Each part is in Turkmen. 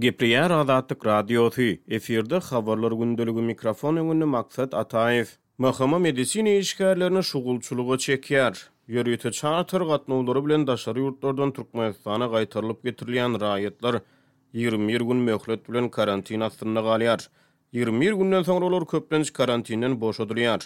Gepleýär Azatlyk Radiosy, efirde Habarlar gündeligi mikrofon öňünde Maksat Ataýew. MHM medisina işgärlerini şugulçylyga çekýär. Ýörite çarter gatnawlary bilen daşary ýurtlardan Türkmenistana gaýtarylyp getirilýän raýatlar 21 gün möhlet bilen karantin astynda galýar. 21 günden soňra olar köplenç karantinden boşadylýar.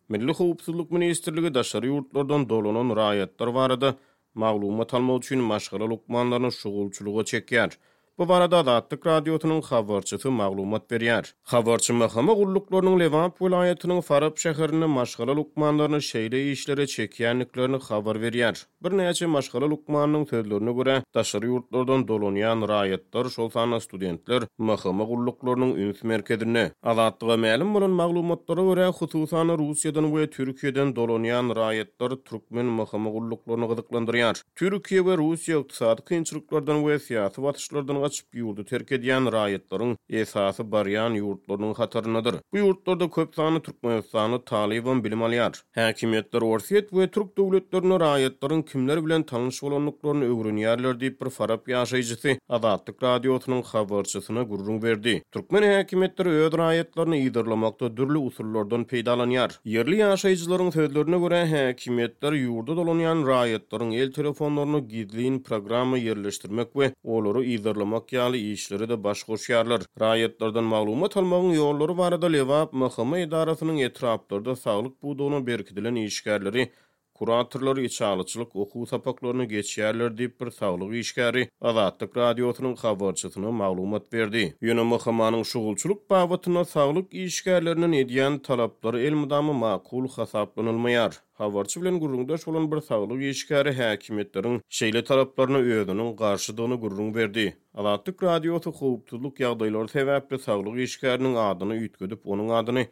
Milli howpsuzlyk ministrligi daşary ýurtlardan dolanan raýatlar barada maglumat almak üçin maşgala lukmanlaryny şugulçylyga çekýär. Bu barada Azatlyk Radiosynyň habarçysy maglumat berýär. Habarçy MHM gulluklarynyň Lebap welaýatynyň Farap şäherinde maşgala lukmanlaryny şeýle işlere çekýändiklerini habar berýär. Birnäçe maşgala lukmanynyň sözlerine görä, daşary ýurtlardan dolanýan raýatlar, şol sanda studentler MHM gulluklarynyň üns merkezinde. Azatlyga mälim bolan maglumatlara görä, hususan-da Russiýadan we Türkiýeden dolanýan raýatlar türkmen MHM gulluklaryny gyzyklandyrýar. Türkiýe we Russiýa ykdysady kynçylyklardan we syýasy basyşlardan gaçyp, ýurdy terk edýän raýatlaryň esasy barýan ýurtlarynyň hataryndadyr. Bu ýurtlarda köp sanly türkmenistanly talybam bilim alýar. Häkimiýetler Orsýet we türk döwletlerinde raýatlaryň kimler bilen tanyş bolandyklaryny öwrenýärler diýip, bir farap ýaşaýjysy Azatlyk Radiosynyň habarçysyna gürrüň berdi. Türkmen häkimiýetleri öz raýatlaryny yzarlamakda dürli usullardan peýdalanýar. Ýerli ýaşaýjylaryň sözlerine görä, häkimiýetler ýurda dolanýan raýatlaryň el telefonlaryna gizlin programma ýerleşdirmek we olary yzarlamak ýaly işlere-de baş goşýarlar. Raýatlardan maglumat almagyň ýollary barada Lebap MHM edarasynyň etraplarda saglyk pudagyna berkidilen işgärleri, kuratorlar içalyçylyk okuw sapaklaryny geçýärler diýip, bir saglyk işgäri Azatlyk Radiosynyň habarçysyna maglumat berdi. Ýöne MHM-niň şugulçylyk babatynda saglyk işgärlerinden edýän talaplary elmydama makul hasaplanylmaýar. Habarçy bilen gürrüňdeş bolan bir saglyk işgäri häkimiýetleriň şeýle talaplaryna özüniň garşydygyny gürrüň berdi. Azatlyk Radiosy howpsuzlyk ýagdaýlary sebäpli saglyk işgäriniň adyny üýtgedip, onuň adyny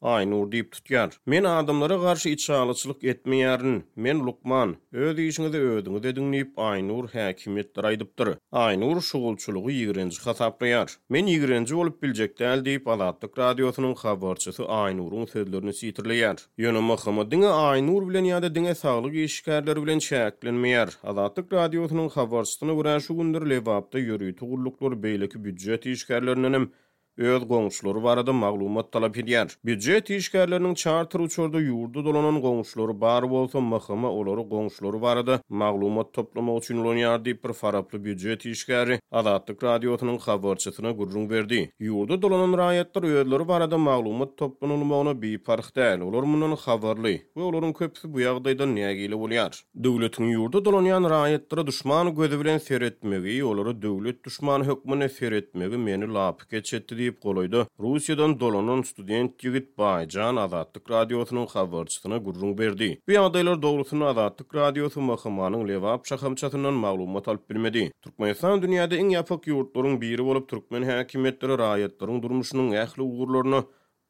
Aýnur diýip tutýar. Men adamlara garşy içalyçylyk etmeýärin. Men lukman. Öz işiňizi özüňiz ediň diýip, Aýnur häkimiýetlere aýdypdyr. Aýnur şugulçylygy ýigrenji hasaplaýar. Men ýigrenji bolup biljek däl diýip, Azatlyk Radiosynyň habarçysy Aýnuryň sözlerini sitirleýär. Ýöne MHM diňe Aýnur bilen ýa-da diňe saglyk işgärleri bilen çäklenmeýär. Azatlyk Radiosynyň habarçysyna görä, şu günler Lebapda ýörite gulluklar beýleki býujet işgärlerindenem öz goňşulary barada maglumat talap edýär. Býujet işgärleriniň çarter uçarda ýurda dolanan goňşulary bar bolsa, MHM olary goňşulary barada maglumat toplamak üçin ulanýar diýip, bir faraply býujet işgäri Azatlyk Radiosynyň habarçysyna gürrüň berdi. Ýurda dolanan raýatlar özleri barada maglumat toplanylmagyna biparh däl, olar mundan habarly we olaryň köpüsi bu ýagdaýdan nägile bolýar. Döwletiň ýurda dolanýan raýatlara duşman gözi bilen seretmegi, olara döwlet duşmany hökmünde seretmegi meni lapykeç etdi diýip, golaýda Russiýadan dolanan student ýigit Baýjan Azatlyk Radiosynyň habarçysyna gürrüň berdi. Bu ýagdaýlar dogrusynda Azatlyk Radiosy MHM-niň Lebap şahamçasyndan maglumat alyp bilmedi. Türkmenistan dünýäde iň ýapyk ýurtlaryň biri bolup, türkmen häkimiýetleri raýatlaryň durmuşynyň ähli ugurlaryna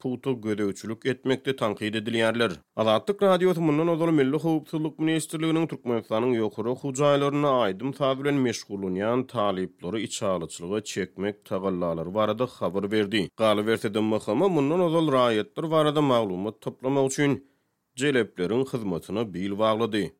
pugta gözegçilik etmekde tankyt edilýärler. Azatlyk Radiosy mundan ozal Milli howpsuzlyk ministrliginiň Türkmenistanyň ýokary okuw jaýlarynda aýdym-saz bilen meşgullanýan talyplary içalyçylyga çekmek tagallalary barada habar berdi. Galyberse-de, MHM mundan ozal raýatlar barada maglumat toplamak üçin jelepleriň hyzmatyna bil baglady.